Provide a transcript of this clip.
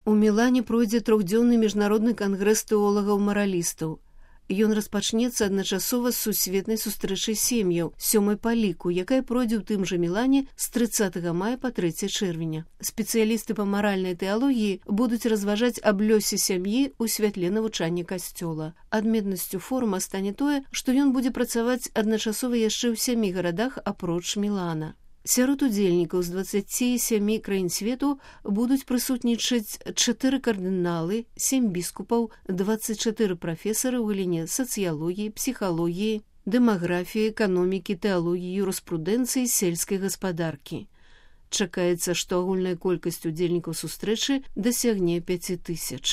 У Мілане пройдзе трохдзённы міжнародны кангрэс тэолагаў-маралістаў. Ён распачнецца адначасова з сусветнай сустрэчай сем'яў, 7-й па ліку, якая пройдзе ў тым жа Мілане з 30 мая па 3 чэрвеня. Спецыялісты па маральнай тэалогіі будуць разважаць аб лёсе сям'і ў святле навучання касцёла. Адметнасцю форума стане тое, што ён будзе працаваць адначасова яшчэ ў 7 гарадах апроч Мілана. Сярод удзельнікаў з 27 краін свету будуць прысутнічаць 4 кардыналы, 7 біскупаў, 24 прафесары ў галіне сацыялогіі, псіхалогіі, дэмаграфіі, эканомікі, тэалогіі, юрыспрудэнцыі, сельскай гаспадаркі. Чакаецца, што агульная колькасць удзельнікаў сустрэчы дасягне 5000.